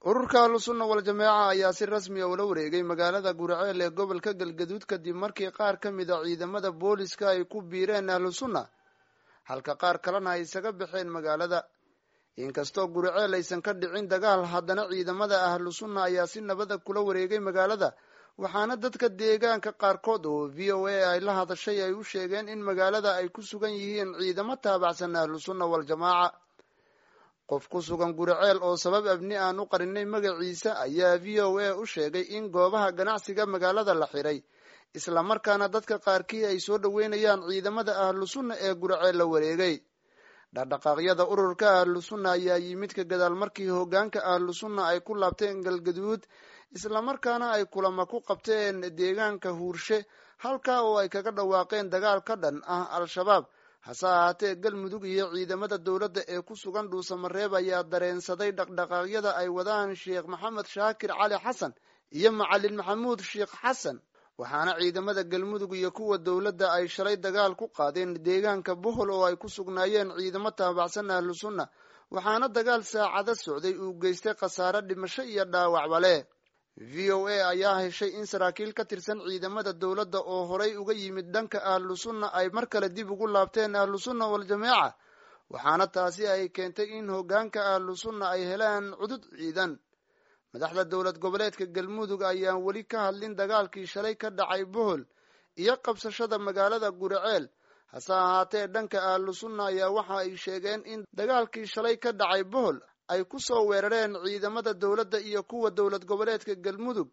Ururka Ahlusunna Wal-Jameeca ayaa si rasmi a ula wareegay magaalada Guriceel ee gobolka Galgaduud kadib markii qaar ka mid a ciidamada booliska ay ku biireen Ahlusunna, halka qaar kalena ay isaga baxeen magaalada. Inkastoo Guriceel aysan ka dhicin dagaal, haddana ciidamada Ahlusunna ayaa si nabada kula wareegay magaalada, waxaana dadka deegaanka qaarkood oo VOA ay la hadashay ay u sheegeen in magaalada ay ku sugan yihiin ciidamo taabacsan Ahlusunna Wal-Jamaaca. Qof ku sugan Guriceel oo sabab abni aan u qarinay magaciisa ayaa VOA u sheegay in goobaha ganacsiga magaalada la xiray, islamarkaana dadka qaarkii ay soo dhoweynayaan ciidamada Ahlusunna ee Guriceel la wareegay. Dhaqdhaqaaqyada ururka Ahlusunna ayaa yimid ka gadaal markii hoggaanka Ahlusunna ay ku laabteen Galgaduud, islamarkaana ay kulamo ku qabteen deegaanka Huurshe, halkaa oo ay kaga dhawaaqeen dagaal ka dhan ah Al-Shabaab. Hase ahaatee, Galmudug iyo ciidamada dowladda ee ku sugan Dhuusamareeb ayaa dareensaday dhaqdhaqaaqyada ay wadaan Sheekh Maxamed Shaakir Cali Xasan iyo Macalin Maxamuud Sheekh Xasan, waxaana ciidamada Galmudug iyo kuwa dowladda ay shalay dagaal ku qaadeen deegaanka Bohol oo ay ku sugnaayeen ciidamo taabacsan Ahlusunna, waxaana dagaal saacado socday uu geystay khasaare dhimasho iyo dhaawacba leh. VOA ayaa heshay in saraakiil ka tirsan ciidamada dowladda oo horay uga yimid dhanka Ahlusunna ay mar kale dib ugu laabteen Ahlusunna Wal-Jameeca, waxaana taasi ay keentay in hoggaanka Ahlusunna ay helaan cudud ciidan. Madaxda dowlad goboleedka Galmudug ayaan weli ka hadlin dagaalkii shalay ka dhacay Bohol iyo qabsashada magaalada Guriceel. Hase ahaatee, dhanka Ahlusunna ayaa waxa ay sheegeen in dagaalkii shalay ka dhacay Bohol ay ku soo weerareen ciidamada dowladda iyo kuwa dowlad goboleedka Galmudug.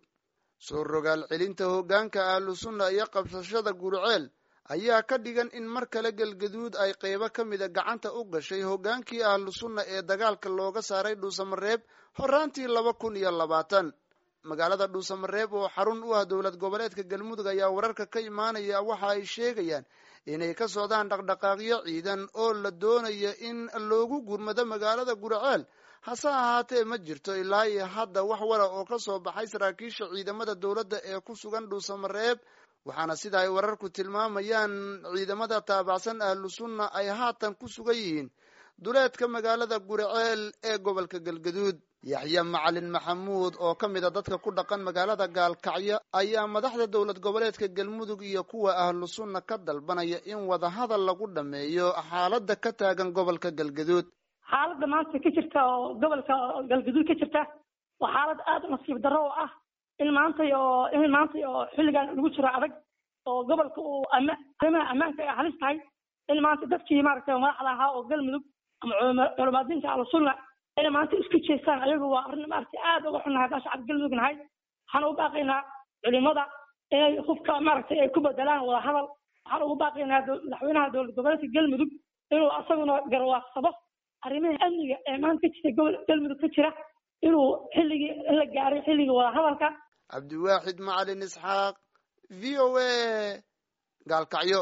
Soo rogaal celinta hoggaanka Ahlusunna iyo qabsashada Guriceel ayaa ka dhigan in mar kale Galgaduud ay qeybo ka mida gacanta u gashay hoggaankii Ahlusunna ee dagaalka looga saaray Dhuusamareeb horaantii 2020. Magaalada Dhuusamareeb oo xarun u ah dowlad goboleedka Galmudug ayaa wararka ka imaanaya waxa ay sheegayaan inay ka socdaan dhaqdhaqaaqyo ciidan oo la doonayo in loogu gurmado magaalada Guriceel. Hase ahaatee, ma jirto ilaa iyo hadda wax wara oo ka soo baxay saraakiisha ciidamada dowladda ee ku sugan Dhuusamareeb, waxaana sida ay wararku tilmaamayaan ciidamada taabacsan Ahlusunna ay haatan ku sugan yihiin duleedka magaalada Guriceel ee gobolka Galgaduud. Yaxya Macalin Maxamuud oo ka mid a dadka ku dhaqan magaalada Gaalkacyo ayaa madaxda dowlad goboleedka Galmudug iyo kuwa Ahlusunna ka dalbanaya in wadahadal lagu dhameeyo xaaladda ka taagan gobolka Galgaduud. Xaaladda maanta ka jirta oo gobolka Galgaduud ka jirta waa xaalad aada u nasiib darro oo ah in maanta oo xilligan lagu jiro adag oo gobolka uu ama arrimaha ammaanka ay halis tahay, in maanta dadkii maaragtay madaxda ahaa oo Galmudug ama culamaadiinta Ahlusunna inay maanta isku jeestaan ayagu waa arrin maaragtay aada uga xunnahay. Haddaan shacabka Galmudug nahay, waxaan ugu baaqaynaa culimada inay hubka maaragtay ay ku bedelaan wadahadal. Waxaan ugu baaqaynaa madaxweynaha dowlad goboleedka Galmudug inuu asaguna garwaaqsado arrimaha amniga ee maanta ka jirta gobol Galmudug ka jira, inuu xilligii in la gaaray xilligii wadahadalka. Cabdiwaaxid Macalin Isxaaq, VOA, Gaalkacyo.